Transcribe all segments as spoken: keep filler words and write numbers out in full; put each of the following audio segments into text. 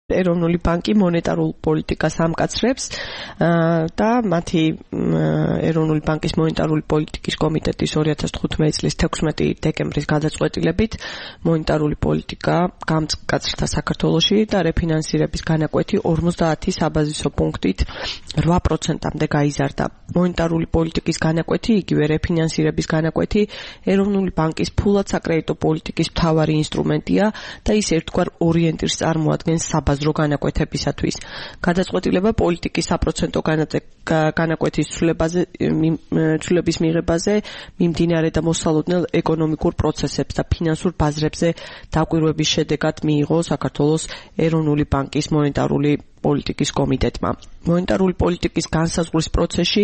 ეროვნული ბანკი მონეტარულ პოლიტიკას ამკაცრებს და მათი ეროვნული ბანკის მონეტარული პოლიტიკის კომიტეტის ორი ათას თხუთმეტი წლის თექვსმეტი დეკემბრის გადაწყვეტილებით მონეტარული პოლიტიკა გამკაცრდა საქართველოში და რეფინანსირების განაკვეთი ორმოცდაათი საბაზისო პუნქტით რვა პროცენტამდე გაიზარდა. მონეტარული პოლიტიკის განაკვეთი, იგივე რეფინანსირების განაკვეთი ეროვნული ბანკის ფულად საკრედიტო პოლიტიკის მთავარი ინსტრუმენტია და ის ერთგვარ ორიენტირს წარმოადგენს საბაზრო განაკვეთებისათვის. გადაწყვეტილება პოლიტიკის საპროცენტო განაკვეთის ცვლილებაზე ცვლილების მიღებაზე მიმდინარე და მოსალოდნელ ეკონომიკურ პროცესებს და ფინანსურ ბაზრებზე დაკვირვების შედეგად მიიღო საქართველოს ეროვნული ბანკის მონეტარული პოლიტიკის კომიტეტმა. მონეტარული პოლიტიკის განსაზღვრის პროცესში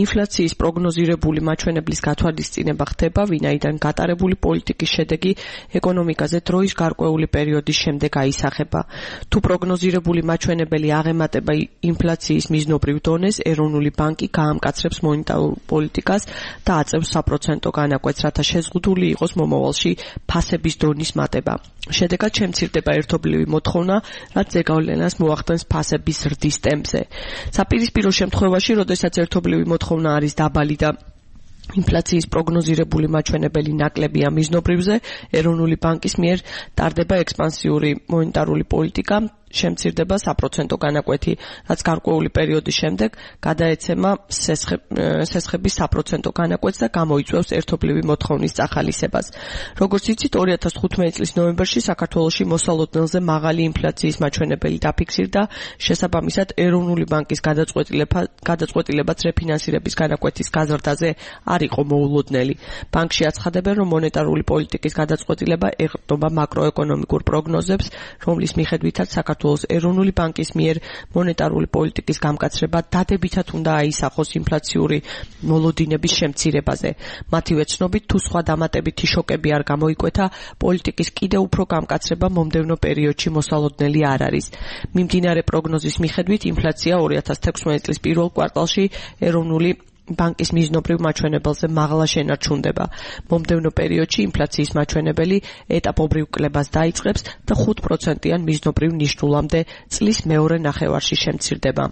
ინფლაციის პროგნოზირებული მაჩვენებლის გათვალისწინება ხდება, ვინაიდან გატარებული პოლიტიკის შედეგი ეკონომიკაზე დროის გარკვეული პერიოდის შემდეგ აისახება. თუ პროგნოზირებული მაჩვენებელი აღემატება ინფლაციის მიზნობრივ დონეს, ეროვნული ბანკი გაამკაცრებს მონეტარულ პოლიტიკას და აწევს საპროცენტო განაკვეთს, რათა შეზღუდული იყოს მომავალში ფასების დონის მატება. შედეგად შემცირდება ერთობლივი მოთხოვნა, რაც ზეგავლენას მოახდენს ფასების ზრდის ტემპზე. საპირისპირო შემთხვევაში, როდესაც ერთობლივი მოთხოვნა არის დაბალი და ინფლაციის პროგნოზირებული მაჩვენებელი ნაკლებია მიზნობრივზე, ეროვნული ბანკის მიერ ტარდება ექსპანსიური მონეტარული პოლიტიკა, შემცირდება საპროცენტო განაკვეთი, რაც გარკვეული პერიოდის შემდეგ გადაეცემა სესხების საპროცენტო განაკვეთს და გამოიწვევს ერთობლივი მოთხოვნის წახალისებას. როგორც იცით, ორი ათას თხუთმეტი წლის ნოემბერში საქართველოში მოსალოდნელზე მაღალი ინფლაციის მაჩვენებელი დაფიქსირდა, შესაბამისად ეროვნული ბანკის გადაწყვეტილებაც რეფინანსირების განაკვეთის გაზრდაზე არ იყო მოულოდნელი. ბანკში აცხადებენ, რომ მონეტარული პოლიტიკის გადაწყვეტილება ეყრდნობა მაკროეკონომიკურ პროგნოზებს, რომლის მიხედვითაც საქართველოს ეროვნული ბანკის მიერ მონეტარული პოლიტიკის გამკაცრება დადებითად უნდა აისახოს ინფლაციური მოლოდინების შემცირებაზე. მათივე ცნობით, თუ სხვა დამატებითი შოკები არ გამოიკვეთა, პოლიტიკის კიდევ უფრო გამკაცრება მომდევნო პერიოდში მოსალოდნელი არ არის. მიმდინარე პროგნოზის მიხედვით, ინფლაცია ორი ათას თექვსმეტი წლის პირველ კვარტალში ეროვნული ბანკის მიზნობრივ მაჩვენებელზე მაღლა შენარჩუნდება. მომდევნო პერიოდში ინფლაციის მაჩვენებელი ეტაპობრივ კლებას დაიწყებს და ხუთ პროცენტიან მიზნობრივ ნიშნულამდე წლის მეორე ნახევარში შემცირდება.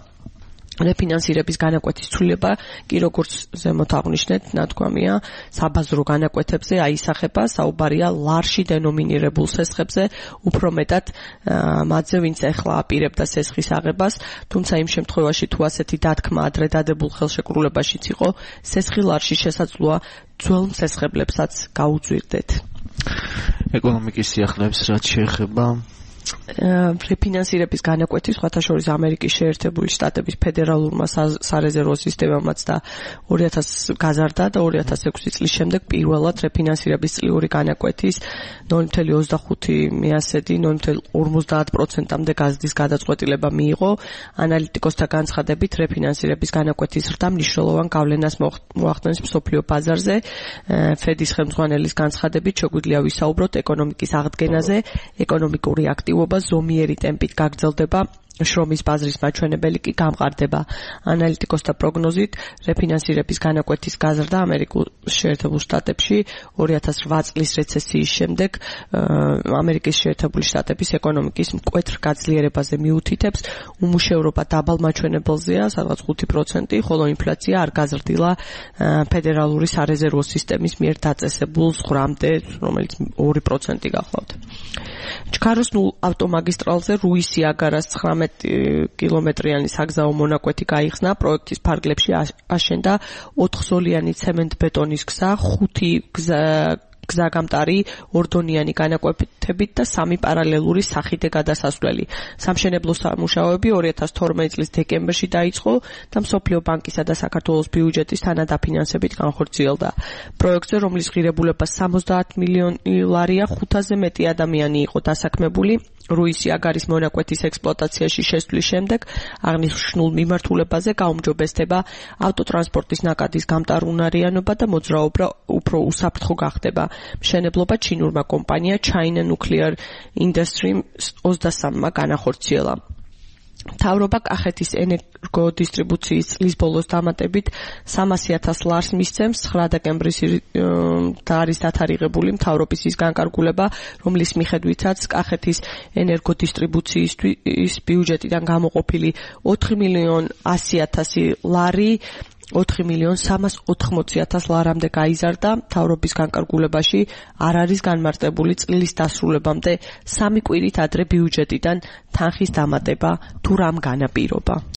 რეფინანსირების განაკვეთის ცვლილება კი როგორც ზემოთ აღნიშნეთ, ნათქვამია, საბაზრო განაკვეთებზე აისახება, საუბარია ლარში დენომინირებულ სესხებზე, უფრო მეტად მათზე, ვინც ახლა აპირებდა სესხის აღებას, თუმცა იმ შემთხვევაში, თუ ასეთი დათქმა ადრე დადებულ ხელშეკრულებაშიც იყო, სესხი ლარში შესაძლოა ძველ მსესხებლებსაც გაუძვირდეთ. ეკონომიკის სიახლეებს რაც შეეხება რეფინანსირების განაკვეთი სხვათა შორის ამერიკის შეერთებული შტატების ფედერალურმა სარეზერვო სისტემამაც და ორი ათას გაზარდა და ორი ათას ექვსი წლის შემდეგ პირველად რეფინანსირების წლიური განაკვეთის ნული virgulă ოცდახუთი მიასედი ნული virgulă ორმოცდაათ პროცენტამდე გაზრდის გადაწყვეტილება მიიღო. ანალიტიკოსთა განცხადებით, რეფინანსირების განაკვეთის ზრდა მნიშვნელოვან გავლენას მოახდენს მსოფლიო ბაზარზე. ფედის ხელმძღვანელის განცხადებით, შეგვიძლია ვისაუბროთ ეკონომიკის აღდგენაზე, ეკონომიკური აქტივობა ზომიერი ტემპით გაგრძელდება, შრომის ბაზრის მაჩვენებელი კი გამყარდება. ანალიტიკოსთა პროგნოზით, რეფინანსირების განაკვეთის გაზრდა ამერიკულ შეერთებულ შტატებში ორი ათას რვა წლის რეცესიის შემდეგ ამერიკის შეერთებული შტატების ეკონომიკის მკვეთრ გაძლიერებაზე მიუთითებს, უმუშევრობა დაბალ მაჩვენებელზეა, სადღაც ხუთი პროცენტი, ხოლო ინფლაცია არ გაზრდილა ფედერალური სარეზერვო სისტემის მიერ დაწესებულ ზღვრამდე, რომელიც ორი პროცენტი გახლავთ. ჩქაროს ნულ ავტომაგისტრალზე რუისი-აგარას ცხრამეტ კილომეტრიანი საგზაო მონაკვეთი გაიხსნა, პროექტის ფარგლებში აშენდა ოთხზოლიანი ცემენტ-ბეტონის გზა, ხუთი გზაგამტარი ორდონიანი განაკვეთებით და სამი პარალელური სახიდე გადასასვლელი. სამშენებლო სამუშაოები ორი ათას თორმეტი წლის დეკემბერში დაიწყო და მსოფლიო ბანკისა და საქართველოს ბიუჯეტის თანადაფინანსებით განხორციელდა. პროექტზე, რომლის ღირებულება სამოცდაათ მილიონი ლარია, ხუთაზე მეტი ადამიანი იყო დასაქმებული. რუისი-აგარის მონაკვეთის ექსპლუატაციაში შესვლის შემდეგ აღნიშნულ მიმართულებაზე გაუმჯობესდება ავტოტრანსპორტის ნაკადის გამტარუნარიანობა და მოძრაობა უფრო უსაფრთხო გახდება. მშენებლობა ჩინურმა კომპანია China Nuclear Industry ოცდასამმა განახორციელა. მთავრობა კახეთის ენერგოდისტრიბუციის წლის ბოლოს დამატებით სამასი ათას ლარს მისცემს. ცხრა დეკემბრის და არის დათარიღებული მთავრობის ის განკარგულება, რომლის მიხედვითაც კახეთის ენერგოდისტრიბუციის ბიუჯეტიდან გამოყოფილი ოთხი მილიონი ასი ათასი ლარი ოთხი მილიონი სამას ოთხმოცი ათას ლარამდე გაიზარდა. მთავრობის განკარგულებაში არ არის განმარტებული წლის დასრულებამდე სამი კვირით ადრე ბიუჯეტიდან თანხის დამატება თუ რამ განაპირობა.